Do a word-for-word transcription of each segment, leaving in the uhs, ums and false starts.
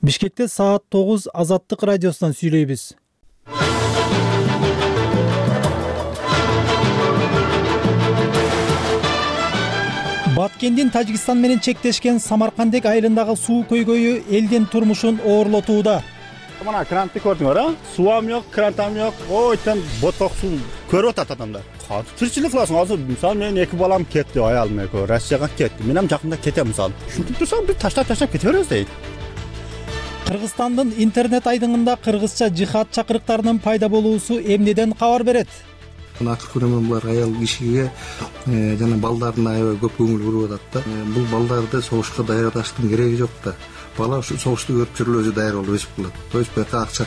Бишкекте саат тогуз Азаттык радиосунан сүйлөйбүз. Баткендин Тажикстан менен чектешкен Самаркандек айылындагы суу көйгөйү элдин турмушун оорлотууда. Мына крантты көрдүңөр, а? Суам жок, крантам жок. Ой, тен боток суу көрүп атат адамдар. Тирчилик кыласың. Азыр мисалы менин эки балам кетти, аялым экөө Россияга кетти. Мен ham жакында кетем мисалы. Ушинтип турсам бир таштап-таштап кете беребиз дейт. Кыргызстандын интернет айдыңында кыргызча жихад чакырыктарынын пайда болуусу эмнеден кабар берет? Мына акыркы күнөмөн булар аял кишиге жана балдарына аябай көп көңүл буруп атат да. Бул балдарды согушка даярдаштын кереги жок да. Бала ушу согушту көрүп жүрүп өзү даяр болуп өсүп калат. То есть бияка акча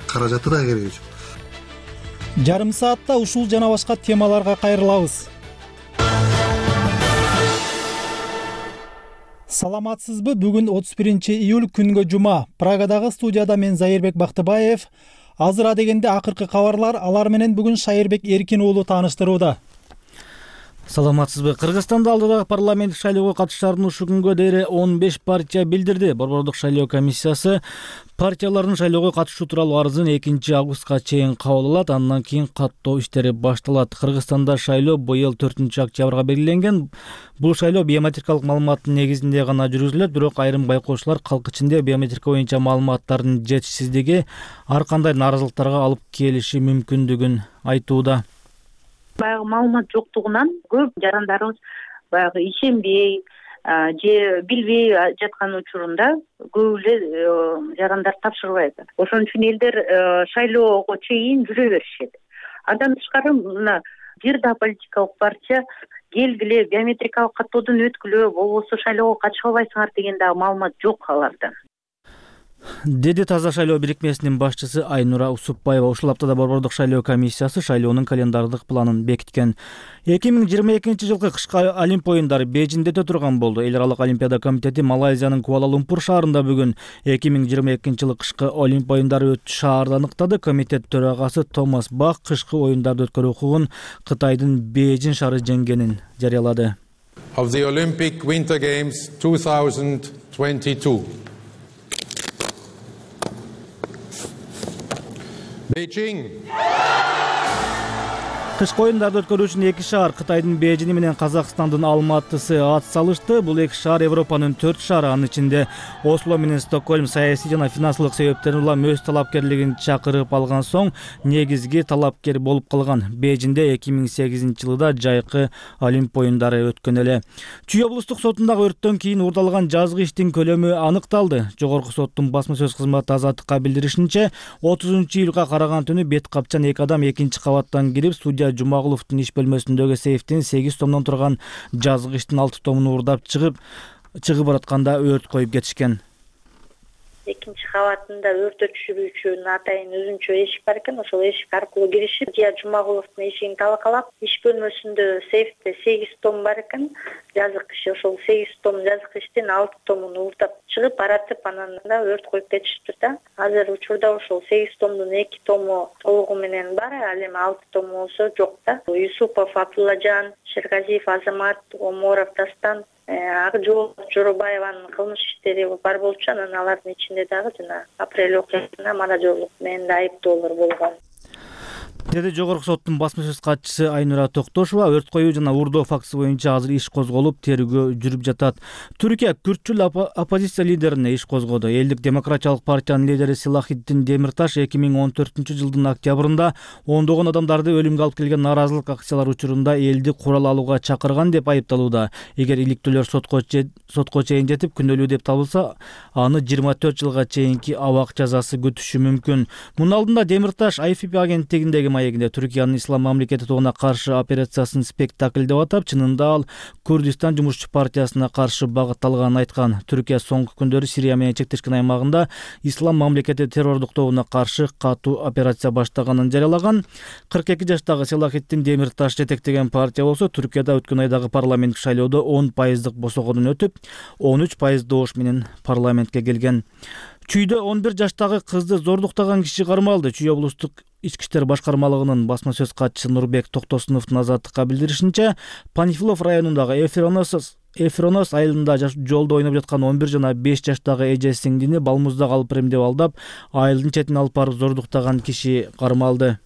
каражаты да кереги жок. Жарым саатта ушул жана башка темаларга кайрылабыз. Саламатсызбы? Бүгүн отуз биринчи июль күнгө жума. Прагадагы студияда мен Зайырбек Бактыбаев. Азыр адегенде акыркы кабарлар, алар менен бүгүн Шайырбек Эркин уулу тааныштырууда. Саламатсызбы? Кыргызстанда алдыдагы парламенттик шайлоого катышаарын ушул күнгө дейин он беш партия билдирди. Борбордук шайлоо комиссиясы партиялардын шайлоого катышуу тууралуу арызын экинчи августка чейин кабыл алат, андан кийин каттоо иштери башталат. Кыргызстанда шайлоо быйыл төртүнчү октябрга белгиленген. Бул шайлоо биометрикалык маалыматтын негизинде гана жүргүзүлөт, бирок айрым байкоочулар калк ичинде биометрика боюнча маалыматтардын жетишсиздиги ар кандай нааразылыктарга алып келиши мүмкүндүгүн айтууда. Баягы маалымат жоктугунан көп жарандарыбыз баягы ишенбей же билбей жаткан учурунда көп эле жарандар тапшырбайт. Ошон үчүн элдер шайлоого чейин жүрө беришет. Андан тышкары мына бир да политикалык партия келгиле биометрикалык каттоодон өткүлө, болбосо шайлоого катыша албайсыңар деген дагы маалымат жок аларда. Деди Таза шайлоо бирикмесинин башчысы Айнура Усупбаева. Ушул аптада Борбордук шайлоо комиссиясы шайлоонун календардык планын бекиткен. эки миң жыйырма экинчи жылкы кышкы Олимп оюндары Бейжиңде өтө турган болду. Эл аралык олимпиада комитети Малайзиянын Куала-Лумпур шаарында бүгүн эки миң жыйырма экинчи жылы кышкы Олимп оюндары өтүш шаарды аныктады. Комитет төрагасы Томас Бах кышкы оюндарды өткөрүү укугун Кытайдын Бейжиң шаары жеңгенин жарыялады. Of the Olympic Winter Games two thousand twenty-two. Beijing. Кышкы оюндарды өткөрүү үчүн эки шаар Кытайдын Бейжиңи менен Казакстандын Алматысы ат салышты. Бул эки шаар Европанын төрт шаары, анын ичинде Осло менен Стокгольм саясий жана финансылык себептерден улам өз талапкерлигин чакырып алган соң негизги талапкер болуп калган. Бейжиңде эки миң сегизинчи жылда жайкы Олимп оюндары өткөн эле. Чүй облустук сотундагы өрттөн кийин уурдалган жазгы иштин көлөмү аныкталды. Жогорку соттун басма сөз кызматы Азаттыкка билдиришинче, отузунчу июлга караган түнү бет капчан эки адам экинчи кабаттан кирип, судья Жумагуловдун иш бөлмөсүндөгү сейфтин сегиз томдон турган жазгы иштин алты томун уурдап чыгып чыгып баратканда өрт коюп кетишкен. Экинчи кабатында өрт өчүрүүчүнүн атайын өзүнчө эшик бар экен, ошол эшик аркылуу киришип, Жия Жумагуловдун эшигин талкалап, иш бөлмөсүндө сейфте сегиз том бар экен, жазык иш. Ошол сегиз том жазык иштин алты томун уурдап чыгып баратып, анан да өрт коюп кетишиптир да. Азыр учурда ошол сегиз томдун эки тому толугу менен бар, ал эми алты тому болсо жок да. Юсупов Абдуллажан, Шергазиев Азамат, Оморов Дастан, Акжол Жоробаеванын кылмыш иштери бар болчу, анан алардын ичинде дагы жана апрель окуясына маражорлук менен да айыптоолор болгон. Деди Жогорку соттун басма сөз катчысы Айнура Токтошова. Өрт коюу жана уурдоо фактысы боюнча азыр иш козголуп, тергөө жүрүп жатат. Түркия күртчүл оппозиция лидерине иш козгоду. Элдик демократиялык партиянын лидери Селахитдин Демирташ эки миң он төртүнчү жылдын октябрында ондогон адамдарды өлүмгө алып келген нааразылык акциялары учурунда элди курал алууга чакырган деп айыпталууда. Эгер иликтөөлөр сотко сотко чейин жетип күнөөлүү деп табылса, аны жыйырма төрт жылга чейинки абак жазасы күтүшү мүмкүн. Мунун алдында Демирташ ай эф пи агенттигиндеги маегинде Түркиянын ислам мамлекети тобуна каршы операциясын спектакль деп атап, чынында ал Курдистан жумушчу партиясына каршы багытталганын айткан. Түркия соңку күндөрү Сирия менен чектешкен аймагында ислам мамлекети террордук тобуна каршы катуу операция баштаганын жарыялаган. кырк эки жаштагы Селахитдин Демирташ жетектеген партия болсо Түркияда өткөн айдагы парламенттик шайлоодо он пайыздык босогодон өтүп, он үч пайыз добуш менен парламентке келген. Чүйдө он бир жаштагы кызды зордуктаган киши кармалды. Чүй облустук ички иштер башкармалыгынын басма сөз катчысы Нурбек Токтосуновдун Азаттыкка билдиришинче, Панфилов районундагы Эфиронос Эфронос айылында жолдо ойноп жаткан он бир жана беш жаштагы эже сиңдини балмузда калып иремдеп алдап, айылдын четине алып барып зордуктаган киши кармалды.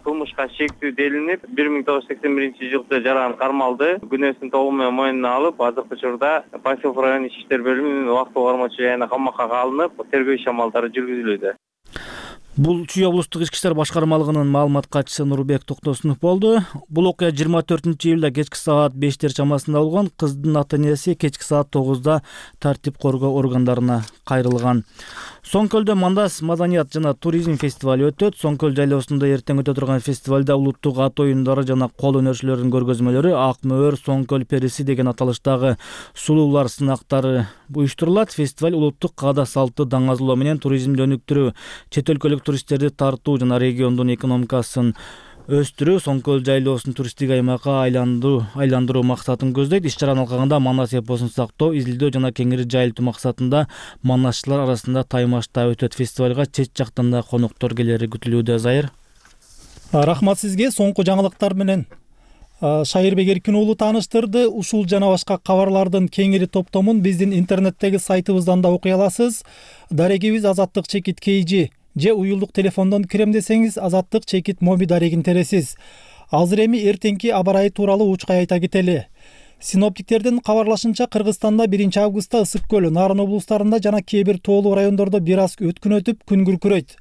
Кылмышка шектүү делинип, бир миң тогуз жүз сексен биринчи жылкы жаран кармалды. Күнөөсүн толугу менен мойнуна алып, азыркы учурда Панфилов район ички иштер бөлүмүнүн убактылуу кармоочу жайына камакка алынып, тергөө иш амалдары жүргүзүлүүдө. Бул Чүй облустук ички иштер башкармалыгынын маалымат катчысы Нурбек Токтосунов болду. Бул окуя жыйырма төртүнчү июлда кечки саат бештер чамасында болгон. Кыздын ата-энеси кечки саат тогузда тартип коргоо органдарына кайрылган. Соң көлдө Мандас маданият жана туризм фестивали өтөт. Соң көл жайлоосунда эртең өтө турган фестивалда улуттук ат оюндары жана кол өнөрчүлөрүнүн көргөзмөлөрү, ак мөөр, Соң көл периси деген аталыштагы сулуулар сынактары уюштурулат. Фестиваль улуттук каада салты даңазылоо менен туризмди өнүктүрүү, чет өлкөлүк туристтерди тартуу жана региондун экономикасын өстүрүү, Соң көл жайлоосун туристтик аймакка айландыруу айландыруу максатын көздөйт. Иш чаранын алкагында Манас эпосун сактоо, изилдөө жана кеңири жайылтуу максатында манасчылар арасында таймашта өтөт. Фестивалга чет жактан да коноктор келери күтүлүүдө. Зайыр. Рахмат сизге. Соңку жаңылыктар менен Шайырбек Эркин уулу тааныштырды. Ушул жана башка кабарлардын кеңири топтомун биздин интернеттеги сайтыбыздан да окуй аласыз. Дарегибиз азаттык чекит kg же уюлдук телефондон кирем десеңиз азаттык чекит моби дарегин тересиз. Азыр эми эртеңки аба ырайы тууралуу учкай айта кетели. Синоптиктердин кабарлашынча Кыргызстанда биринчи августта ысык көл, Нарын облустарында жана кээ бир тоолуу райондордо бир аз өткүн өтүп күн күркүрөйт.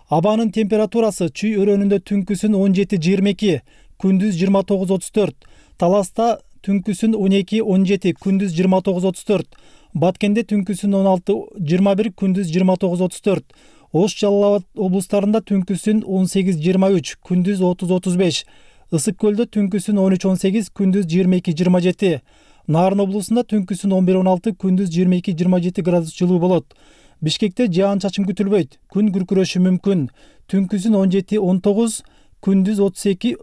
Абанын температурасы Чүй өрөөнүндө түнкүсүн он жети жыйырма эки, күндүз жыйырма тогуз отуз төрт, Таласта түнкүсүн он эки он жети, күндүз жыйырма тогуз отуз төрт, Баткенде түнкүсүн он алты жыйырма бир, күндүз жыйырма тогуз отуз төрт, Ош Жалал Абад облустарында түнкүсүн он сегиз жыйырма үч, күндүз отуз отуз беш, Ысык көлдө түнкүсүн он үч он сегиз, күндүз жыйырма эки жыйырма жети, Нарын облусунда түнкүсүн он бир он алты, күндүз жыйырма эки жыйырма жети градус жылуу болот. Бишкекте жаан чачын күтүлбөйт, күн күркүрөшү мүмкүн. Түнкүсүн он жети он тогуз, күндүз отуз эки,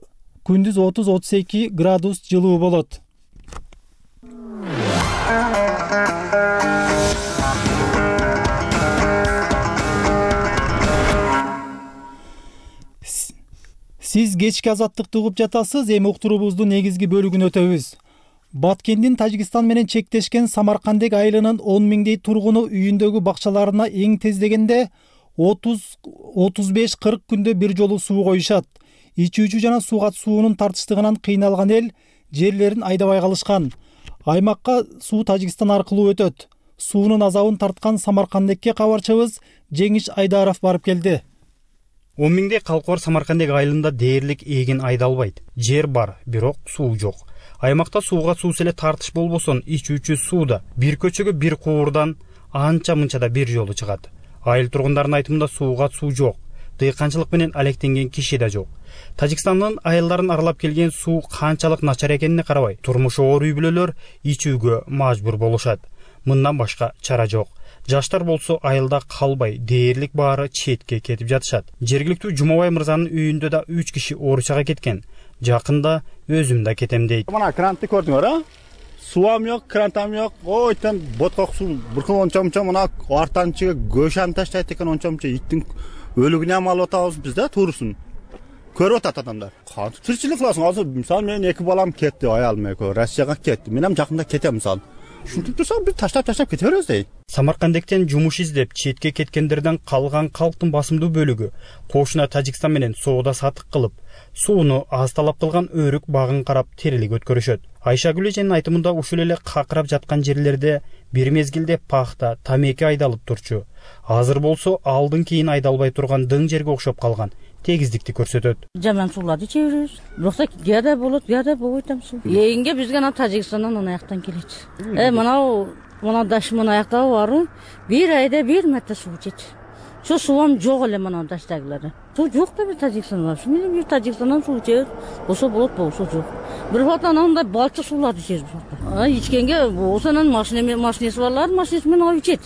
күндүз отуз отуз эки градус жылуу болот. Сиз кечки азаттыкты угуп жатасыз. Эми уктуруубуздун негизги бөлүгүн өтөбүз. Баткендин Тажикстан менен чектешкен Самаркандек айылынын он миңдей тургуну үйүндөгү бакчаларына эң тез дегенде отуз отуз беш кырк күндө бир жолу суу коюшат. Ичүүчү жана сууга суунун тартыштыгынан кыйналган эл жерлерин айдабай калышкан. Аймакка суу Тажикстан аркылуу өтөт. Суунун азабын тарткан Самаркандекке кабарчыбыз Жеңиш Айдаров барып келди. он миңдей калкы бар Самаркандек айылында дээрлик эгин айдалбайт. Жер бар, бирок суу жок. Аймакта сууга суусу эле тартыш болбосун, ичүүчү суу да бир көчөгө бир куурдан анча мынчада бир жолу чыгат. Айыл тургундарынын айтымында сууга суу жок. Дыйканчылык менен алектенген киши да жок. Тажикстандын айылдарын аралап келген суу канчалык начар экенине карабай, турмушу оор үй бүлөлөр ичүүгө мажбур болушат. Мындан башка чара жок. Жаштар болсо айылда калбай, дээрлик баары четке кетип жатышат. Жергиликтүү Жумабай мырзанын үйүндө да үч киши ооручага кеткен. Жакында өзүм да кетем дейт. Мына крантты көрдүңөр, а? Суам жок, крантам жок. Ойтан боток суу буркун ончомчо мына артанчыга көшаны таштайт экен ончомчо иттин өлүгүнө ham алып атабыз биз да турусын. Көрүп атат адамдар. Кантип тиричилик кыласың? Азыр мисалы менин эки балам кетти, аялым экөө Россияга кетти. Мен ham жакында кетем мисалы. Ушинтип турсак биз таштап-таштап кете беребиз дейт. Самаркандектен жумуш издеп четке кеткендерден калган калктын басымдуу бөлүгү кошуна Тажикстан менен соода сатык кылып, сууну аз талап кылган өрүк багын карап тирилик өткөрүшөт. Айшагүл эженин айтымында ушул эле какырап жаткан жерлерде бир мезгилде пахта, тамеки айдалып турчу. Азыр болсо алдын кийин айдалбай турган дың жерге окшоп калган. Тегиздикти көрсөтөт. Жаман сууларды иче беребиз. Бирок кияда болот, кияда болбойт ам суу. Эңге бизге ана Тажикстандан анаяктан келет. Э, мына мына дашман аякта барып, бир айда бир марта суу ичет. Şu suvam жок эле мына даштагылары. Суу жок да бир Тажикстанда. Мен бир Тажикстандан суу ичебиз. Болсо болот, болсо жок. Бир бата анандай балчык сууларды ичебиз. А ичкенге болсо анан машина машинеси барлар машинеси менен алып ичет.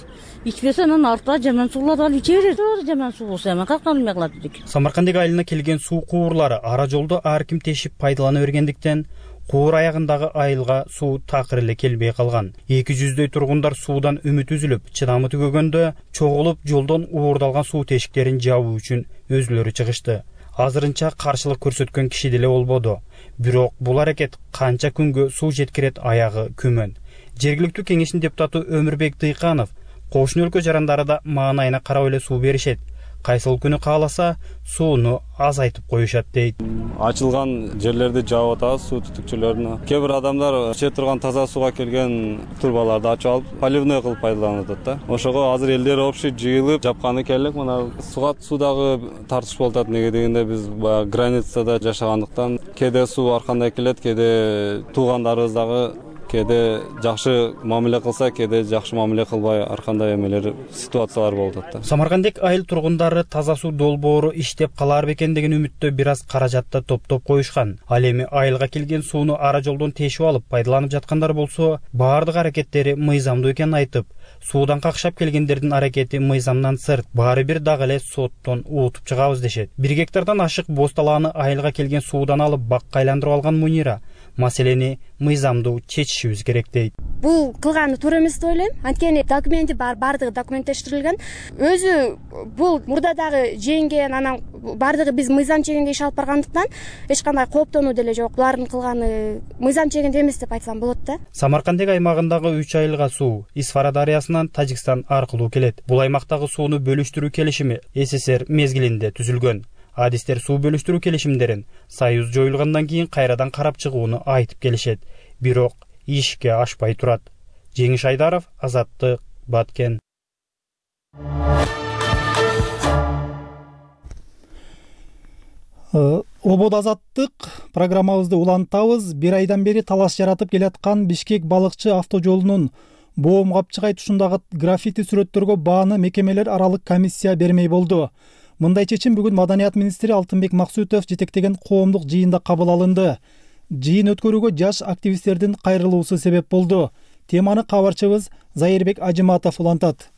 Ичпесе анан артта жаман сууларды алып иче берет. Жаман суу болсо эми каяктан албай калат дедик. Самаркандек айылына келген суу куурлары ара жолдо ар ким тешип пайдалана бергендиктен куур аягындагы айылга суу такыр эле келбей калган. эки жүздөй тургундар суудан үмүт үзүлүп, чыдамы түгөгөндө чогулуп жолдон уурдалган суу тешиктерин жабуу үчүн өзүлөрү чыгышты. Азырынча каршылык көрсөткөн киши деле болбоду. Бирок бул аракет канча күнгө суу жеткирет аягы күмөн. Жергиликтүү кеңештин депутаты Өмүрбек Дыйканов кошуна өлкө жарандары да маанайына карап эле суу беришет. Кайсыл күнү кааласа сууну азайтып коюшат дейт. Ачылган жерлерди жаап атабыз суу түтүкчөлөрүнө. Кээ бир адамдар иче турган таза сууга келген турбаларды ачып алып поливной кылып пайдаланып атат да. Ошого азыр элдер общий жыйылып жапканы келек. Мына сугат суудагы тартыш болуп атат. Неге дегенде биз баягы границада жашагандыктан кээде суу ар кандай келет, кээде туугандарыбыз дагы кээде жакшы мамиле кылса, кээде жакшы мамиле кылбай ар кандай эмелер ситуациялар болуп атат да. Самаркандек айыл тургундары таза суу долбоору иштеп калар бекен деген үмүттө бир аз каражатты топтоп коюшкан. Ал эми айылга келген сууну ара жолдон тешип алып пайдаланып жаткандар болсо, баардык аракеттери мыйзамдуу экенин айтып, суудан какшап келгендердин аракети мыйзамдан сырт, баары бир дагы эле соттон уутуп чыгабыз дешет. Бир гектардан ашык боз талааны айылга келген суудан алып бакка айландырып алган Мунира маселени мыйзамдуу чечишибиз керек дейт. Бул кылганы туура эмес деп ойлойм. Анткени документи бар, баардыгы документтештирилген. Өзү бул мурдадагы жеңген, анан баардыгы биз мыйзам чегинде иш алып баргандыктан эч кандай кооптонуу деле жок. Булардын кылганы мыйзам чегинде эмес деп айтсам болот да. Самаркандек аймагындагы үч айылга суу Исфара дарыясынан Тажикстан аркылуу келет. Бул аймактагы сууну бөлүштүрүү келишими СССР мезгилинде түзүлгөн. Адистер суу бөлүштүрүү келишимдерин Союз жоюлгандан кийин кайрадан карап чыгууну айтып келишет. Бирок ишке ашпай турат. Жеңиш Айдаров, Азаттык, Баткен. Обод Азаттык программабызды улантабыз. Бир айдан бери талаш жаратып келаткан Бишкек балыкчы автожолунун боом капчыгай тушундагы граффити сүрөттөргө бааны мекемелер аралык комиссия бермей болду. Мындай чечим бүгүн Маданият министри Алтынбек Максутов жетектеген коомдук жыйында кабыл алынды. Жыйын өткөрүүгө жаш активисттердин кайрылуусу себеп болду. Теманы кабарчыбыз Зайырбек Ажыматов улантат.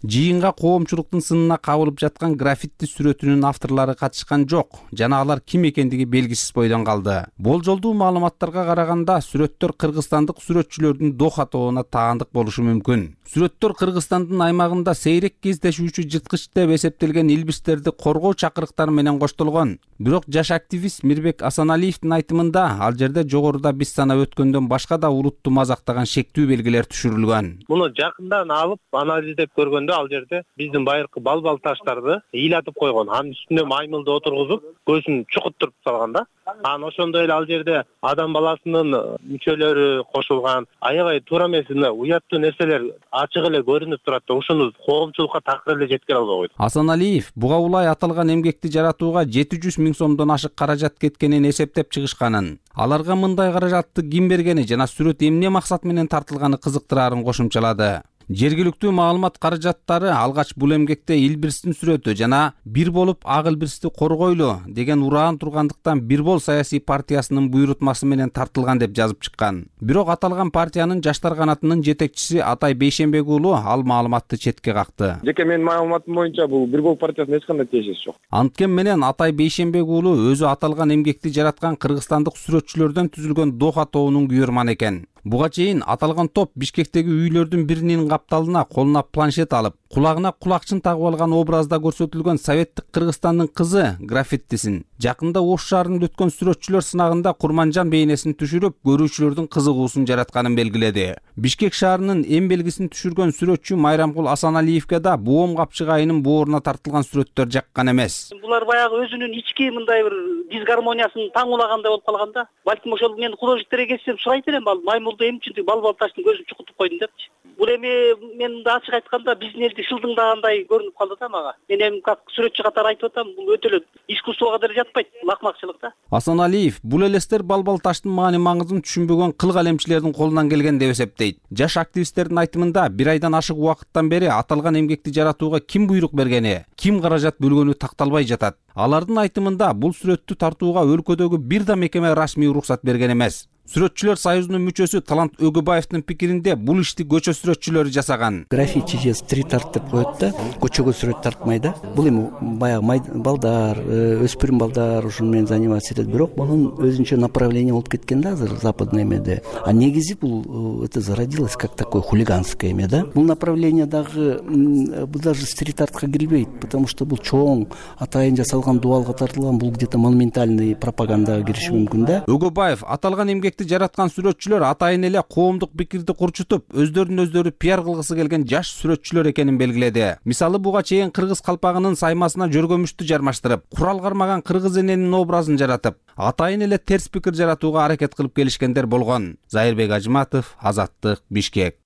Жыйынга коомчулуктун сынына кабылып жаткан граффити сүрөтүнүн авторлору катышкан жок жана алар ким экендиги белгисиз бойдон калды. Болжолдуу маалыматтарга караганда сүрөттөр кыргызстандык сүрөтчүлөрдүн дох атоона таандык болушу мүмкүн. Сүрөттөр Кыргызстандын аймагында сейрек кездешүүчү жырткыч деп эсептелген илбирстерди коргоо чакырыктары менен коштолгон. Бирок жаш активист Мирбек Асаналиевдин айтымында ал жерде жогоруда биз санап өткөндөн башка да улутту мазактаган шектүү белгилер түшүрүлгөн. Муну жакындан алып анализдеп көргөндө ал жерде биздин байыркы балбал таштарды ыйлатып койгон. Анын үстүнө маймылды отургузуп, көзүн чукуттуруп салган да. Анан ошондой эле ал жерде адам баласынын мүчөлөрү кошулган. Аябай туура эмес, уяттуу нерселер ачык эле көрүнүп турат да. Ошону коомчулукка такыр эле жеткире албай койду. Асаналиев буга улай аталган эмгекти жаратууга жети жүз миң сомдон ашык каражат кеткенин эсептеп чыгышканын, аларга мындай каражатты ким бергени жана сүрөт эмне максат менен тартылганы кызыктыраарын кошумчалады. Жергиликтүү маалымат каражаттары алгач бул эмгекте илбирстин сүрөтү жана бир болуп ак илбирсти коргойлу деген ураан тургандыктан Бир бол саясий партиясынын буйрутмасы менен тартылган деп жазып чыккан. Бирок аталган партиянын жаштар канатынын жетекчиси Атай Бейшенбек уулу ал маалыматты четке какты. Жеке менин маалыматым боюнча бул Бир бол партиясына эч кандай тиешеси жок. Анткени менен Атай Бейшенбек уулу өзү аталган эмгекти жараткан кыргызстандык сүрөтчүлөрдөн түзүлгөн дох атоонун күйөрманы экен. Буга чейин аталган топ Бишкектеги үйлөрдүн биринин капталына колуна планшет алып, кулагына кулакчын тагып алган образда көрсөтүлгөн советтик Кыргызстандын кызы граффитисин, жакында Ош шаарында өткөн сүрөтчүлөр сынагында Курманжан бейнесин түшүрүп, көрүүчүлөрдүн кызыгуусун жаратканын белгиледи. Бишкек шаарынын эң белгисин түшүргөн сүрөтчү Майрамкул Асаналиевге да боом капчыгайынын бооруна тартылган сүрөттөр жаккан эмес. Булар баягы өзүнүн ички мындай бир дисгармониясын таң улагандай болуп калганда, балким ошол мен художниктерге кетсем сурайт элем, маймылды эмне үчүн балбал таштын көзүн чукутуп койдуң депчи. Бул эми мен да ачык айтканда биздин элди шылдыңдагандай көрүнүп калды да мага. Мен эми как сүрөтчү катары айтып атам, бул өтө эле искусствого деле жатпайт, лакмакчылык да. Асаналиев бул элестер балбал таштын маани маңызын түшүнбөгөн кыл калемчилердин колунан келген деп эсептейт. Жаш активисттердин айтымында бир айдан ашык убакыттан бери аталган эмгекти жаратууга ким буйрук бергени, ким каражат бөлгөнү такталбай жатат. Алардын айтымында бул сүрөттү тартууга өлкөдөгү бир да мекеме расмий уруксат берген эмес. Сүрөтчүлөр союзунун мүчөсү Талант Өгөбаевдин пикиринде бул ишти көчө сүрөтчүлөрү жасаган. Граффити же стрит арт деп коет да, көчөгө сүрөт тартмай да. Бул эми баягы балдар, өспүрүм балдар ушуну менен заниматься этет, бирок мунун өзүнчө направление болуп кеткен да азыр западный эмеде. А негизи бул это зародилось как такое хулиганское эме да. Бул направление дагы бул даже стрит артка кирбейт, потому что бул чоң атайын жасалган дуалга тартылган, бул где-то монументальный пропагандаға кириши мүмкүн да. Өгөбаев аталган эмгек эмгекти жараткан сүрөтчүлөр атайын эле коомдук пикирди курчутуп, өздөрүн өздөрү пиар кылгысы келген жаш сүрөтчүлөр экенин белгиледи. Мисалы, буга чейин кыргыз калпагынын саймасына жөргөмүштү жармаштырып, курал кармаган кыргыз эненин образын жаратып, атайын эле терс пикир жаратууга аракет кылып келишкендер болгон. Зайырбек Ажыматов, Азаттык, Бишкек.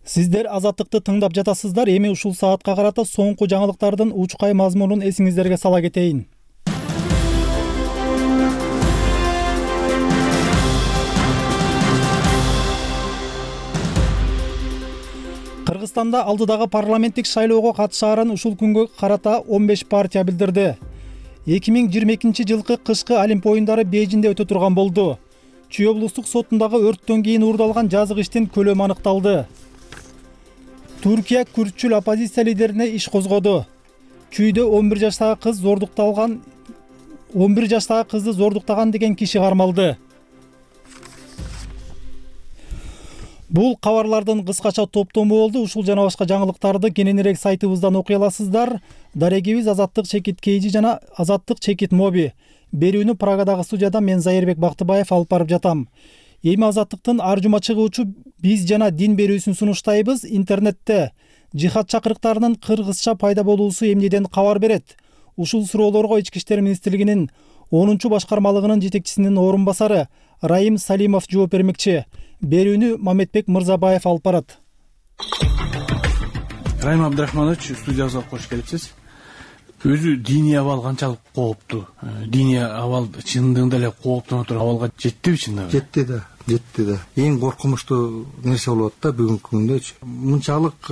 Сиздер Азаттыкты тыңдап жатасыздар. Эми ушул саатка карата соңку жаңылыктардын учкай мазмунун эсиңиздерге сала кетейин. Кыргызстанда алдыдагы парламенттик шайлоого катышаарын ушул күнгө карата он беш партия билдирди. эки миң жыйырма экинчи жылкы кышкы Олимп оюндары Бейжиңде өтө турган болду. Чүй облустук сотундагы өрттөн кийин уурдалган жазык иштин көлөмү аныкталды. Түркия күртчүл оппозиция лидерине иш козгоду. Чүйдө он бир жаштагы кыз зордукталган он бир жаштагы кызды зордуктаган деген киши кармалды. Бул кабарлардын кыскача топтому болду. Ушул жана башка жаңылыктарды кененирээк сайтыбыздан окуй аласыздар. Дарегибиз Азаттык Чекит Кейжи жана Азаттык Чекит Моби. Берүүнү Прагадагы студияда мен Зайырбек Бактыбаев алып барып жатам. Эми Азаттыктын ар жума чыгуучу биз жана дин берүүсүн сунуштайбыз. Интернетте жихад чакырыктарынын кыргызча пайда болуусу эмнеден кабар берет? Ушул суроолорго Ички иштер министрлигинин онунчу башкармалыгынын жетекчисинин орун басары Раим Салимов жооп бермекчи. Берүүнү Мамедбек Мырзабаев алып барат. Раим Абдрахманович, студиябызга кош келипсиз. Өзү диний абал канчалык кооптуу? Диний абал чындыгында эле кооптоно туруп абалга жеттиби чындыгында? Жетти да, жетти да. Эң коркунучтуу нерсе болуп атат да бүгүнкү күндө. Мынчалык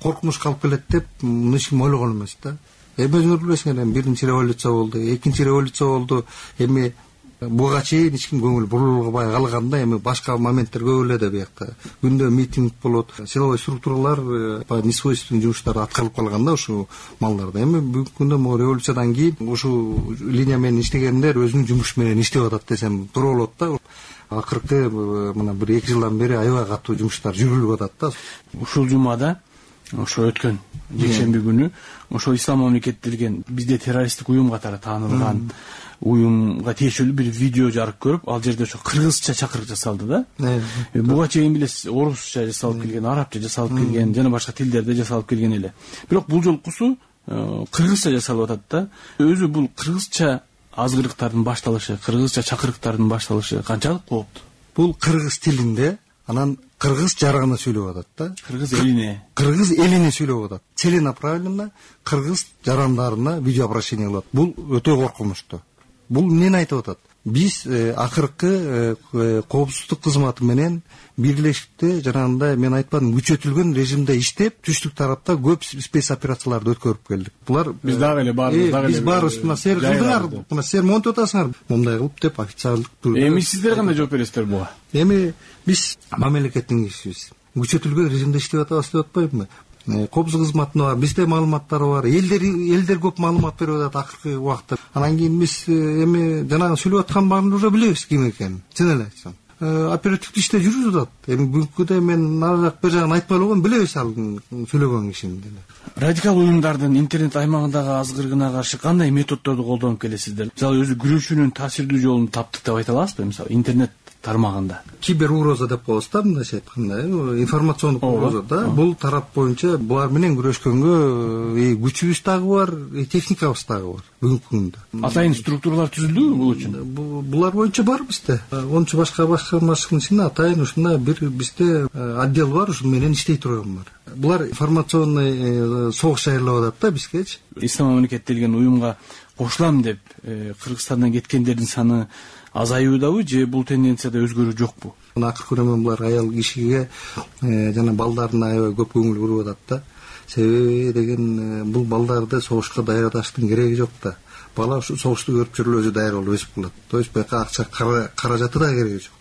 коркунучка алып келет деп эч ким ойлогон эмес да. Эми өзүңөр билесиңер, эми биринчи революция болду, экинчи революция болду. Эми буга чейин эч ким көңүл бурулбай калганда, эми башка моменттер көп эле да биякта. Күндө митинг болот, силовой структуралар по несвойственным жумуштарды аткарылып калганда ушу малдарда. Эми бүгүнкү күндө могу революциядан кийин ушу линия менен иштегендер өзүнүн жумушу менен иштеп атат десем туура болот да. Акыркы мына бир эки жылдан бери аябай катуу жумуштар жүрүлүп атат да. Ушул жумада ошо өткөн жекшемби күнү ошо Ислам мамлекети деген бизде террористтик уюм катары таанылган уюмга тиешелүү бир видео жарык көрүп, ал жерде ошо кыргызча чакырык жасалды да. Буга чейин билесиз, орусча жасалып келген, арабча жасалып келген, жана башка тилдерде жасалып келген эле. Бирок бул жолкусу кыргызча жасалып атат да. Өзү бул кыргызча азгырыктардын башталышы, кыргызча чакырыктардын башталышы канчалык кооптуу? Бул кыргыз тилинде, анан кыргыз жарыгына сүйлөп атат да. Кыргыз элине. Кыргыз элине сүйлөп атат. Целенаправленно кыргыз жарандарына видеообращение кылат. Бул өтө коркунучтуу. Бул эмнени айтып атат? Биз акыркы коопсуздук кызматы менен бирлешикте жанагындай мен айтпадым, күчөтүлгөн режимде иштеп, түштүк тарапта көп спец операцияларды өткөрүп келдик. Булар биз дагы эле баарыбыз дагы эле. Биз баарыбыз мына силер кылдыңар, мына силер монтип атасыңар, мындай кылып деп официалдык. Эми сиздер кандай жооп бересиздер буга? Эми биз мамлекеттин кишисибиз. Күчөтүлгөн режимде иштеп атабыз деп атпайбызбы? Коопсуздук кызматында бар, бизде маалыматтар бар. Элдер элдер көп маалымат берип атат акыркы убакытта. Анан кийин биз эми жанагы сүйлөп аткан баарын уже билебиз ким экенин. Чын эле айтсам. Оперативдик иште жүрүп атат. Эми бүгүнкү күндө мен нарак бир жагын айтпай эле койгом, билебиз ал сүйлөгөн кишини деле. Радикал уюмдардын интернет аймагындагы азгырыгына каршы кандай методдорду колдонуп келесиздер? Мисалы өзү күрөшүүнүн таасирдүү жолун таптык деп айта аласызбы? Мисалы интернет тармагында кибер угроза деп коебуз да, мындайча айтканда, информациондук угроза да. Бул тарап боюнча булар менен күрөшкөнгө күчүбүз дагы бар, техникабыз дагы бар бүгүнкү күндө. Атайын структуралар түзүлдүбү бул үчүн? Булар боюнча бар бизде. онунчу башка башкармачылыктын ичинде атайын ушундай бир бизде отдел бар, ушун менен иштей турган бар. Булар информационный согуш аярлап атат да бизгечи. Ислам мамлекети деген уюмга кошулам деп Кыргызстандан кеткендердин саны азаюудабы же бул тенденцияда өзгөрүү жокпу? Акыркы күнү булар аял кишиге жана балдарына аябай көп көңүл буруп атат да. Себеби деген бул балдарды согушка даярдаштын кереги жок да. Бала ушу согушту көрүп жүрүп өзү даяр болуп өсүп калат. То есть бияка акча каражаты да кереги жок.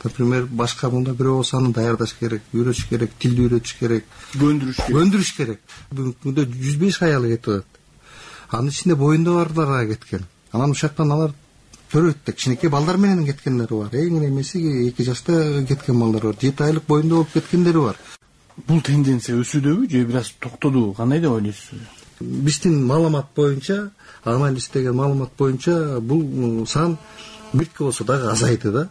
Например, башка мында бирөө болсо аны даярдаш керек, үйрөтүш керек, тилди үйрөтүш керек, көндүрүш керек. Көндүрүш керек. Бүгүнкү күндө жүз беш аял кетип атат. Анын ичинде боюнда барлар кеткен. Анан ушактан алар төрөйт, кичинекей балдар менен кеткендери бар. Эң немеси эки жашта кеткен балдар бар, жети айлык боюнда болуп кеткендери бар. Бул тенденция өсүүдөбү же бир аз токтодубу? Кандай деп ойлойсуз? Биздин маалымат боюнча, анализ деген маалымат боюнча бул сан бирке болсо дагы азайды да.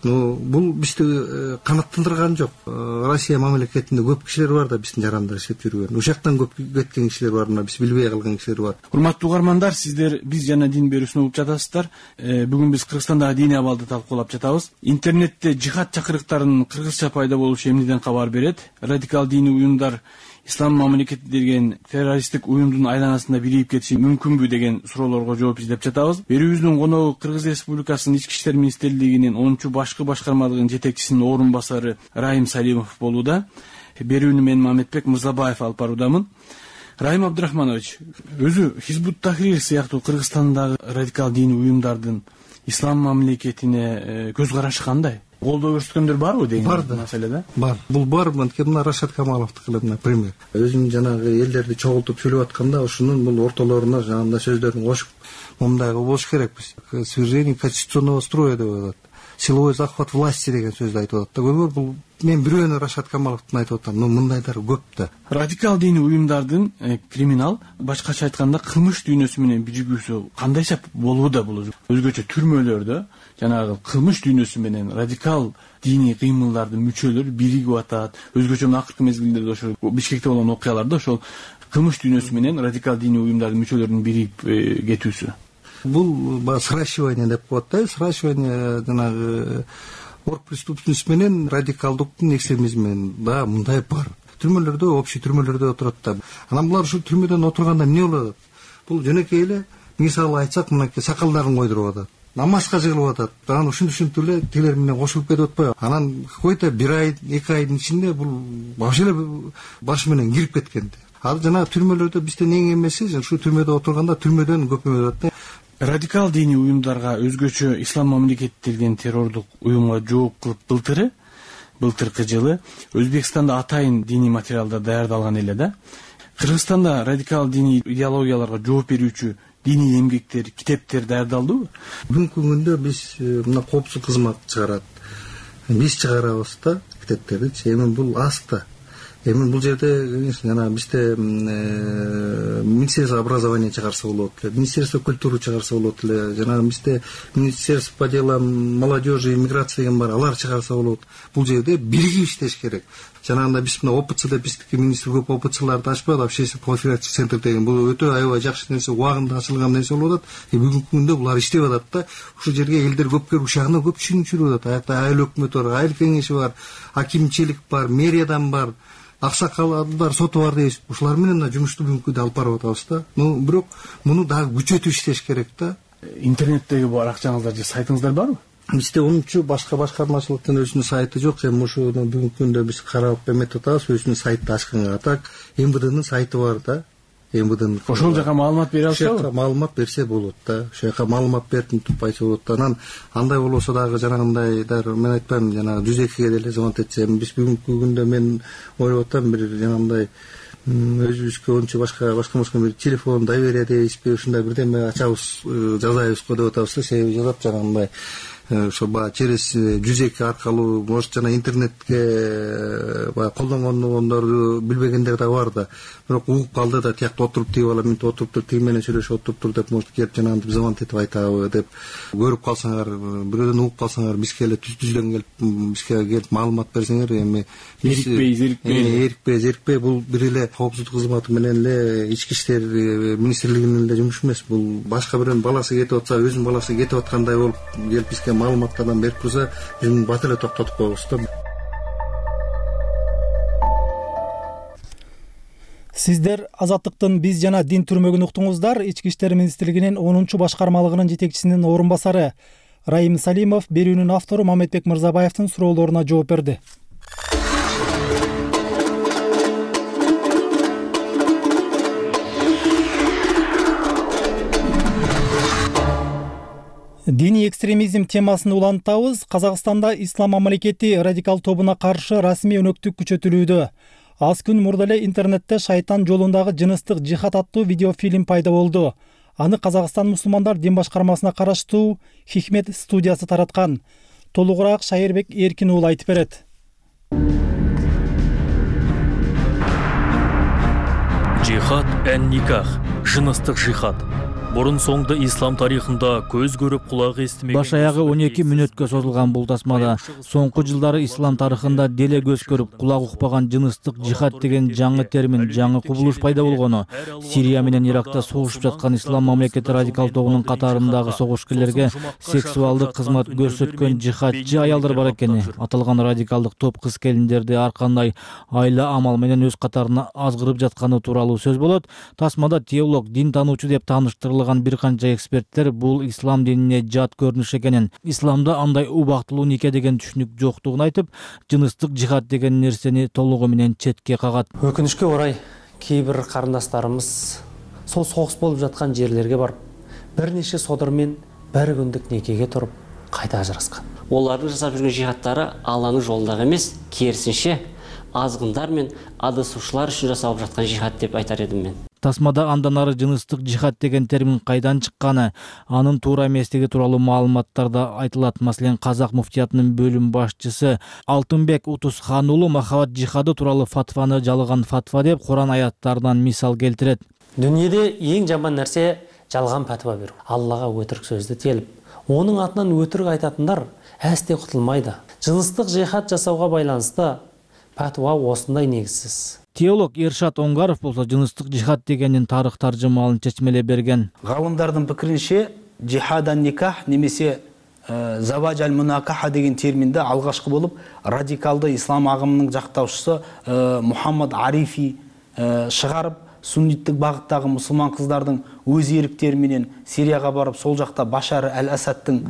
ну бул бизди канааттандырган жок. Россия мамлекетинде көп кишилер бар да биздин жарандар иштеп жүргөн. Ошол жактан көп кеткен кишилер бар, мына биз билбей калган кишилер бар. Урматтуу угармандар, сиздер биз жана дин берүүсүн угуп жатасыздар. Бүгүн биз Кыргызстандагы диний абалды талкуулап жатабыз. Интернетте жихад чакырыктарынын кыргызча пайда болушу эмнеден кабар берет? Радикал диний уюмдар ислам мамлекети деген террористтик уюмдун айланасында бирип кетиши мүмкүнбү деген суроолорго жооп издеп жатабыз. Берүүбүздүн коногу Кыргыз Республикасынын Ички иштер министрлигинин онунчу башкы башкармалыгынын жетекчисинин орун басары Райым Салимов болууда. Берүүнү мен Мамедбек Мырзабаев алып баруудамын. Райым Абдрахманович, өзү Хизбут Тахрир сыяктуу Кыргызстандагы радикал диний уюмдардын ислам мамлекетине көз карашы кандай? Колдоо көрсөткөндөр барбы деген маселеде? Бар. Бул бар. Мына Рашат Камаловдуку, например. Өзүм жанагы элдерди чогултуп сүйлөп атканда ошонун бул ортолоруна жанагындай сөздөрүн кошуп, мындайга болуш керекпиз. Свержение конституционного строя деп атат. Силовой захват власти деген сөздү айтып атат да. Көргөр, бул мен бирөөнү Рашат Камаловдун айтып атам. Но мындайлар көп да. Радикал диний уюмдардын криминал, башкача айтканда кылмыш дүйнөсү менен биригүүсү кандайча болууда бул? Өзгөчө түрмөлөрдө жанагы кылмыш дүйнөсү менен радикал диний кыймылдардын мүчөлөрү биригип атат. Өзгөчө мына акыркы мезгилдерде ошол Бишкекте болгон окуяларда ошол кылмыш дүйнөсү менен радикал диний уюмдардын мүчөлөрүнүн биригип кетүүсү. Бул сращивание деп коет да. Сращивание жанагы оргпреступность менен радикалдыктын экстремизм менен да мындай бар. Түрмөлөрдө, общий түрмөлөрдө отурат да. Анан булар ушул түрмөдөн отурганда эмне болот? Бул жөнөкөй эле мисалы айтсак, мынакей сакалдарын койдуруп атат, намазга жыгылып атат. Анан ушинтип ушинтип эле тилер менен кошулуп кетип атпайбы? Анан какой-то бир ай, эки айдын ичинде бул вообще эле башы менен кирип кеткен. Ал жанагы түрмөлөрдө биздин эң эмеси ушул түрмөдө отурганда түрмөдөн көпөйүп атат да. Радикал диний уюмдарга өзгөчө ислам мамлекети деген террордук уюмга жооп кылып былтыры, былтыркы жылы Өзбекстанда атайын диний материалдар даярдалган эле да. Кыргызстанда радикал диний идеологияларга жооп берүүчү диний эмгектер, китептер даярдалдыбы? Бүгүнкү күндө биз мына коопсуздук кызмат чыгарат. Биз чыгарабыз да китептерди. Эми бул аз да. Эми бул жерде жана бизде Министерство образования чыгарса болот эле, Министерство культуры чыгарса болот эле, жана бизде Министерство по делам молодежи и миграции деген бар, алар чыгарса болот. Бул жерде биригип иштеш керек. Жанагында биз мына ОПЦ деп биздики министр көп ОПЦларды ачпайбы, общественный профилактика центр деген. Бул өтө аябай жакшы нерсе, убагында ачылган нерсе болуп атат. Бүгүнкү күндө булар иштеп атат да. Ушул жерге элдер көп келип ушагына көп түшүнүп атат. Аякта айыл өкмөтү бар, айыл кеңеши бар, акимчилик бар, мэриядан бар, аксакалдар, соту бар дейбиз. Ушулар менен жумушту бүгүнкү күндө алып барып атабыз да. Ну, бирок муну дагы күчөтүп иштеш керек да. Интернеттеги баракчаңыздар же сайтыңыздар барбы? Бизде онунчу башка башкармачылыктын өзүнүн сайты жок. Эми ушуну бүгүнкү күндө биз карап эметип атабыз, өзүнүн сайтты ачканга. Так, МВДнын сайты бар да. МВДнын. Ошол жака маалымат бере алышабы? Ошол жака маалымат берсе болот да. Ошол жака маалымат берип мынтип айтса болот да. Анан андай болбосо дагы жанагындайдар мен айтпайм, жана жүз экиге деле звонок этсе, биз бүгүнкү күндө мен ойлоп атам бир жанагындай өзүбүзгө ончу башка башка башка бир телефон доверие дейбизби, ушундай бирдеме ачабыз, жазайбыз го деп атабыз да. Себеби жазат жанагындай ошо баягы через жүз эки аркылуу, может жана интернетке баягы колдонгондорду билбегендер да бар да. Бирок угуп калды да, тиякта отуруп тиги бала мынтип отуруптур, тиги менен сүйлөшүп отуруптур деп, может келип жанагынтип звонок этип айтабы деп көрүп калсаңар, бирөөдөн угуп калсаңар, бизге эле түздөн келип, бизге келип маалымат берсеңер, эми эрикпей, зерикпей, эрикпей, зерикпей, бул бир эле коопсуздук кызматы менен эле Ички иштер министрлигинин эле жумушу эмес. Бул башка бирөөнүн баласы кетип атса, өзүнүн баласы кетип аткандай болуп келип бизге маалыматтардан берип турса, биз бат эле токтотуп коебуз да. Сиздер Азаттыктын биз жана дин түрмөгүн уктуңуздар. Ички иштер министрлигинин онунчу башкармалыгынын жетекчисинин орун басары Райым Салимов берүүнүн автору Мамедбек Мырзабаевдин суроолоруна жооп берди. Диний экстремизм темасын улантабыз. Казакстанда ислам мамлекети радикал тобуна каршы расмий өнөктүк күчөтүлүүдө. Аз күн мурда эле интернетте шайтан жолундагы жыныстык жихад аттуу видеофильм пайда болду. Аны Казакстан мусулмандар дин башкармасына караштуу Хикмет студиясы тараткан. Толугураак Шайырбек Эркин уулу айтып берет. Жихад эн никах, жыныстык жихад. Мурун соңду ислам тарыхында көз көрүп кулак эстемеген баш аягы он эки мүнөткө созулган бул тасмада соңку жылдары ислам тарыхында деле көз көрүп кулак укпаган жыныстык жихад деген жаңы термин, жаңы кубулуш пайда болгону, Сирия менен Иракта согушуп жаткан ислам мамлекети радикал тобунун катарындагы согушкерлерге сексуалдык кызмат көрсөткөн жихадчы аялдар бар экени, аталган радикалдык топ кыз келиндерди ар кандай айла амал менен өз катарына азгырып жатканы тууралуу сөз болот. Тасмада теолог, дин таануучу деп тааныштырылган бир канча эксперттер бул ислам динине жат көрүнүш экенин, исламда андай убактылуу нике деген түшүнүк жоктугун айтып, жыныстык жихад деген нерсени толугу менен четке кагат. Өкүнүчкө орай кээ бир карындашдарыбыз сол согуш болуп жаткан жерлерге барып, бир нече содырмен бир күндүк некеге туруп кайта ажыраскан. Олардын жасап жүргөн жихадтары Алланын жолундагы эмес, керисинче азгындар мен адасуучулар үчүн жасалып жаткан жихад деп айтар едим мен. Тасмада андан ары жыныстык жихад деген термин кайдан чыкканы, анын туура эместиги тууралуу маалыматтар да айтылат. Маселен, Казак муфтиятынын бөлүм башчысы Алтынбек Утусхан уулу махабат жихады тууралуу фатваны жалган фатва деп Куран аяттарынан мисал келтирет. Дүнүйөдө эң жаман нерсе жалган фатва берүү. Аллага өтірік сөздү телип, онун атынан өтірік айтатындар әсте кутулмайды. Жыныстык жихад жасауга байланышты фатва осындай негизсиз. Теолог Эршат Оңгаров болсо жыныстык жихад дегенин тарых таржымалын чечмелеп берген. Галымдардын пикиринче жихадан никах немесе заважаль мунакаха деген терминди алгашкы болуп радикалды ислам агымынын жактаушусу Мухаммад Арифи чыгарып, сунниттик багыттагы мусулман кыздардын өз эриктери менен Сирияга барып, сол жакта Башар аль-Асадтын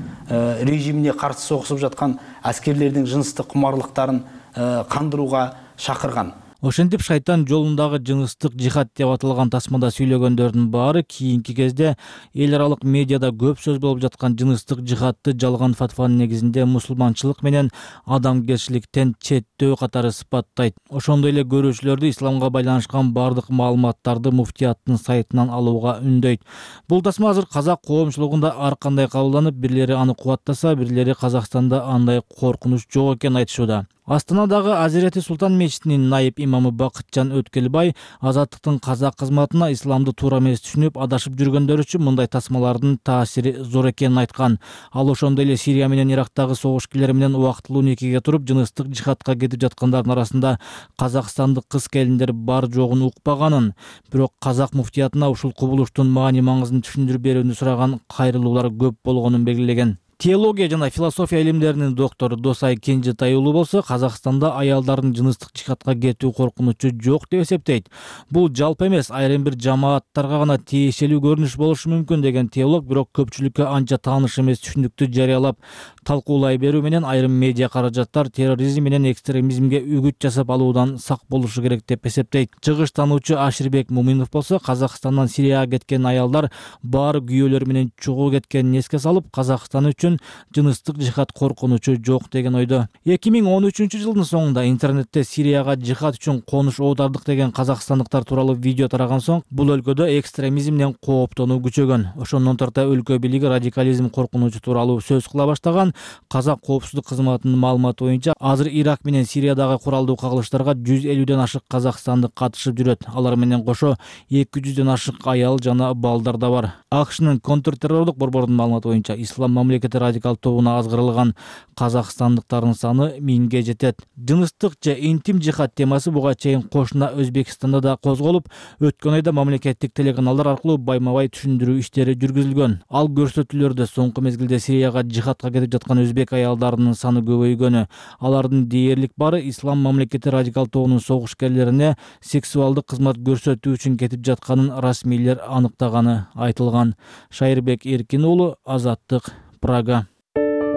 режимине каршы согушуп жаткан аскерлердин жыныстык кумарлыктарын кандырууга чакырган. Ошентип шайтан жолундагы жыныстык жихад деп аталган тасмада сүйлөгөндөрдүн баары кийинки кезде эл аралык медиада көп сөз болуп жаткан жыныстык жихадты жалган фатванын негизинде мусулманчылык менен адамгерчиликтен четтөө катары сыпаттайт. Ошондой эле көрүүчүлөрдү исламга байланышкан бардык маалыматтарды муфтияттын сайтынан алууга үндөйт. Бул тасма азыр казак коомчулугунда ар кандай кабылданып, бирлери аны кубаттаса, бирлери Казакстанда андай коркунуч жок экенин айтышууда. Астанадагы Азирети Султан мечитинин найып имамы Бакытжан Өткелбай азаттыктын казак кызматына исламды туура эмес түшүнүп адашып жүргөндөр үчүн мындай тасмалардын таасири зор экенин айткан. Ал ошондой эле Сирия менен Ирактагы согушкерлер менен убактылуу никеге туруп жыныстык жихадка кетип жаткандардын арасында казакстандык кыз келиндер бар жогун укпаганын, бирок казак муфтиятына ушул кубулуштун маани маңызын түшүндүрүп берүүнү сураган кайрылуулар көп болгонун белгилеген. Теология жана философия илимдеринин доктору Досай Кенжетай уулу болсо Казакстанда аялдардын жыныстык жихадка кетүү коркунучу жок деп эсептейт. Бул жалпы эмес, айрым бир жамааттарга гана тиешелүү көрүнүш болушу мүмкүн деген теолог, бирок көпчүлүккө анча тааныш эмес түшүнүктү жарыялап талкуулай берүү менен айрым медиа каражаттар терроризм менен экстремизмге үгүт жасап алуудан сак болушу керек деп эсептейт. Чыгыш таануучу Аширбек Муминов болсо Казакстандан Сирияга кеткен аялдар баары күйөөлөр менен чогуу кеткенин эске салып, Казакстан үчүн жыныстык жихад коркунучу жок деген ойдо. эки миң он үчүнчү жылдын соңунда интернетте Сирияга жихад үчүн конуш оодардык деген казакстандыктар тууралуу видео тараган соң бул өлкөдө экстремизмден кооптонуу күчөгөн. Ошондон тарта өлкө бийлиги радикализм коркунучу тууралуу сөз кыла баштаган. Казак коопсуздук кызматынын маалыматы боюнча азыр Ирак менен Сириядагы куралдуу кагылыштарга жүз элүүдөн ашык казакстандык катышып жүрөт. Алар менен кошо эки жүздөн ашык аял жана балдар да бар. АКШнын контртеррорлук борборунун маалыматы боюнча ислам мамлекети радикал тобуна азгырылган казакстандыктардын саны миңге жетет. Жыныстык же интим жихад темасы буга чейин кошуна Өзбекстанда да козголуп, өткөн айда мамлекеттик телеканалдар аркылуу байма-бай түшүндүрүү иштери жүргүзүлгөн. Ал көрсөтүүлөрдө соңку мезгилде Сирияга жихадка кетип жаткан өзбек аялдарынын саны көбөйгөнү, алардын дээрлик бары ислам мамлекети радикал тобунун согушкерлерине сексуалдык кызмат көрсөтүү үчүн кетип жатканын расмийлер аныктаганы айтылган. Шайырбек Эркин уулу, Азаттык, Прага.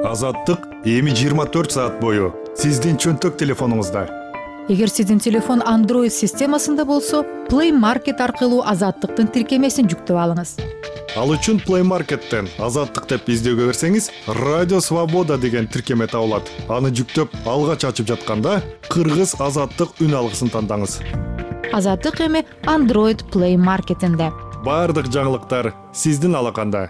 Азаттык эми жыйырма төрт саат бою сиздин чөнтөк телефонуңузда. Эгер сиздин телефон Android системасында болсо, Play Market аркылуу Азаттыктын тиркемесин жүктөп алыңыз. Ал үчүн Play Market'тен Азаттык деп издөөгө берсеңиз, Радио Свобода деген тиркеме табылат. Аны жүктөп алгач ачып жатканда Кыргыз Азаттык үн алгысын тандаңыз. Азаттык эми Android Play Market'инде. Бардык жаңылыктар сиздин алаканда.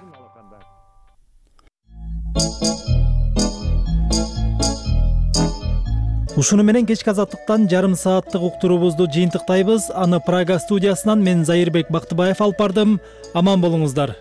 Ушуну менен кечки Азаттыктан жарым сааттык уктуруубузду жыйынтыктайбыз. Аны Прага студиясынан мен Зайырбек Бактыбаев алып бардым. Аман болуңуздар.